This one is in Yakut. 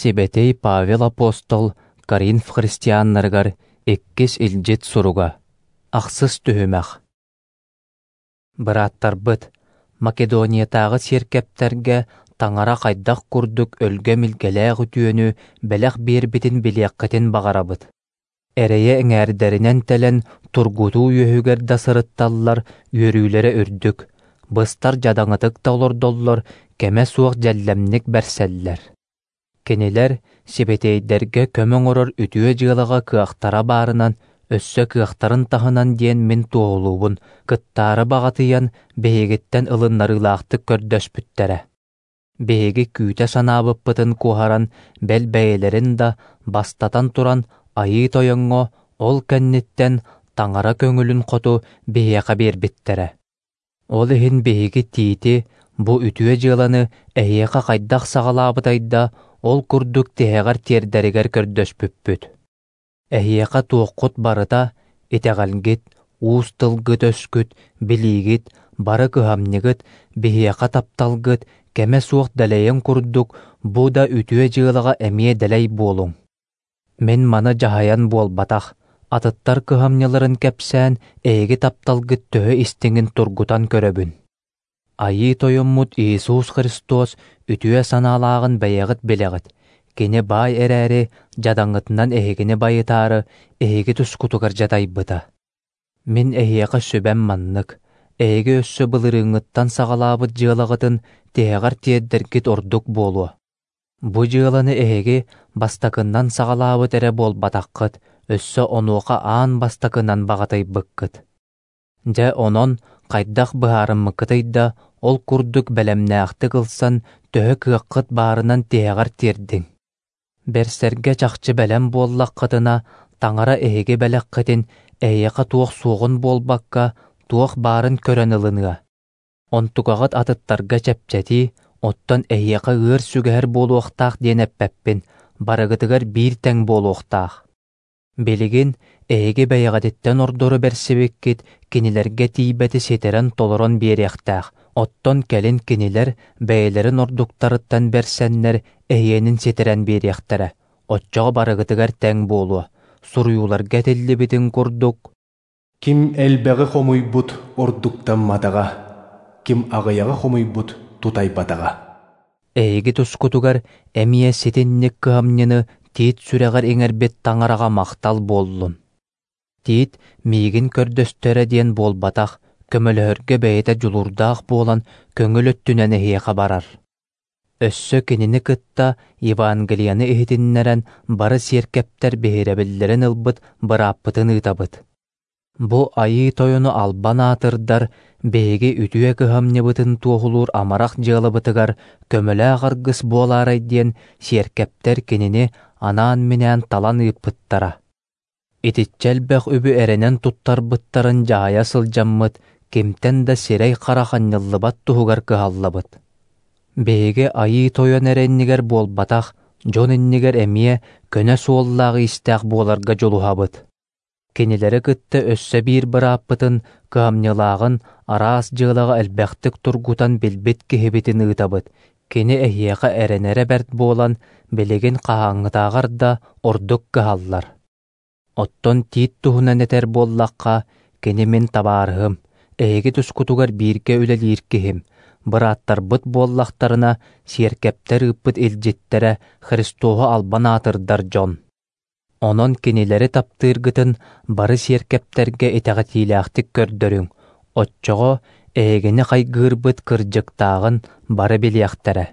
Сибэтиэй Павел апостол Коринф христианнарыгар иккис илдьит суруга. Ахсыс түһүмэх. Бырааттарбыт, Македониятааҕы сиэркэптэргэ Таҥара хайдах курдук өлгөм илгэлээх үтүөнү бэлэх биэрбитин билиэххитин баҕарабыт. Эрэйэ эҥээрдэринэн тэлэн тургутуу үөһүгэр да сырытталлар үөрүүлэрэ үрдүк, быстар дьадаҥытык да олордоллор кэмэ суох дьэллэмник бэрсэллэр. Кинилэр сибэтиэйдэргэ көмө оҥорор үтүө дьыалаҕа кыахтара баарынан, өссө кыахтарын таһынан диэн мин туоһулуубун, кыттаары баҕатыйан биһигиттэн ылыннарыылаахтык көрдөспүттэрэ. Биһиги күүтэ санаабыппытын куоһаран, бэл бэйэлэрин да, бастатан туран, Айыы Тойоҥҥо, ол кэнниттэн Таҥара көҥүлүн хоту биһиэхэ биэрбиттэрэ. Ол иһин биһиги Тиити бу үтүө дьыаланы эһиэхэ хайдах саҕалаабытай да, ол курдук тиһэҕэр тиэрдэригэр көрдөспүппүт. Эһиэхэ туоххут барыта, итэҕэлгит, уус тылгыт-өскүт, билиигит, бары кыһамньыгыт, биһиэхэ тапталгыт кэмэ суох дэлэйэн курдук бу да үтүө дьыалаҕа эмиэ дэлэй буолуҥ. Мин маны дьаһайан буолбатах, атыттар кыһамньыларын кэпсээн, эһиги тапталгыт төһө истиҥин тургутан көрөбүн. Айыы Тойоммут Иисус Христос үтүө санаалааҕын бэйэҕит билэҕит, Кини баай эрээри, дьадаҥытынан эһигини байытаары, эһиги тускутугар дьадайбыта. Мин эһиэхэ сүбэм маннык: эһиги өссө былырыыҥҥыттан саҕалаабыт дьыалаҕытын тиһэҕэр тиэрдэргит ордук буолуо. Бу дьыаланы эһиги бастакыннан саҕалаабыт эрэ буолбатаххыт, өссө онуоха аан бастакынан баҕатыйбыккыт. Дьэ онон хайдах быһаарыммыккытый да, ол курдук бэлэмнээхтик ылсан, төһө кыаххыт баарынан тиһэҕэр тиэрдиҥ. Бэрсэргэ чахчы бэлэм буоллаххытына, Таҥара эһиги бэлэххитин эһиэхэ туох суоҕун буолбакка, туох баарын көрөн ылыныа. Онтукаҕыт атыттарга чэпчэтии, оттон эһиэхэ ыар сүгэһэр буолуохтаах диэн эппэппин, барыгытыгар биир тэҥ буолуохтаах. Билигин эһиги бэйэҕититтэн ордору бэрсибиккит кинилэргэ тиийбэти ситэрэн-толорон биэриэхтээх, оттон кэлин кинилэр бэйэлэрин ордуктарыттан бэрсэннэр эһиэнин ситэрэн биэриэхтэрэ, оччоҕо барыгытыгар тэҥ буолуо, суруйууларга этиллибитин курдук Ким элбэҕи хомуйбут ордуктамматаҕа, ким аҕыйаҕы хомуйбут тутайбатаҕа. Эһиги тускутугар эмиэ ситинник кыһамньыны Тиит сүрэҕэр иҥэрбит Таҥараҕа махтал буоллун. Тиит миигин көрдөстөрө диэн буолбатах, көмөлөһөргө бэйэтэ дьулуурдаах буолан көҥүл өттүнэн эһиэхэ барар. Өссө кинини кытта Евангелиены иһитиннэрэн бары сиэркэптэр биһирэбиллэрин ылбыт бырааппытын ыытабыт. Бу Айыы Тойону албан аатырдар биһиги үтүө кыһамньыбытын туоһулуур амарах дьыалабытыгар көмөлөөх аргыс буолаарай диэн сиэркэптэр кинини анаан-минээн талан ыыппыттара. Итиччэ элбэх үбү эрэнэн туттарбыттарын дьаһайа сылдьаммыт, кимтэн да сирэй-харах анньыллыбат туһугар кыһаллабыт. Биһиги Айыы Тойон эрэ иннигэр буолбатах, дьон иннигэр эмиэ көнө суоллаах-иистээх буоларга дьулуһабыт. Кинилэри кытта өссө биир бырааппытын, кыһамньылааҕын араас дьыалаҕа элбэхтик тургутан билбит киһибитин ыытабыт, кини эһиэхэ эрэнэрэ бэрт буолан, билигин хаһааҥҥытааҕар да ордук кыһаллар. Оттон Тиит туһунан этэр буоллахха, кини мин табаарыһым, эһиги тускутугар бииргэ үлэлиир киһим, бырааттарбыт буоллахтарына, сиэркэптэр ыыппыт илдьиттэрэ Христоһу албан аатырдар дьон. Онон кинилэри таптыыргытын бары сиэркэптэргэ итэҕэтиилээхтик көрдөрүҥ, оччоҕо эһигини хайгыырбыт кырдьыктааҕын бары билиэхтэрэ.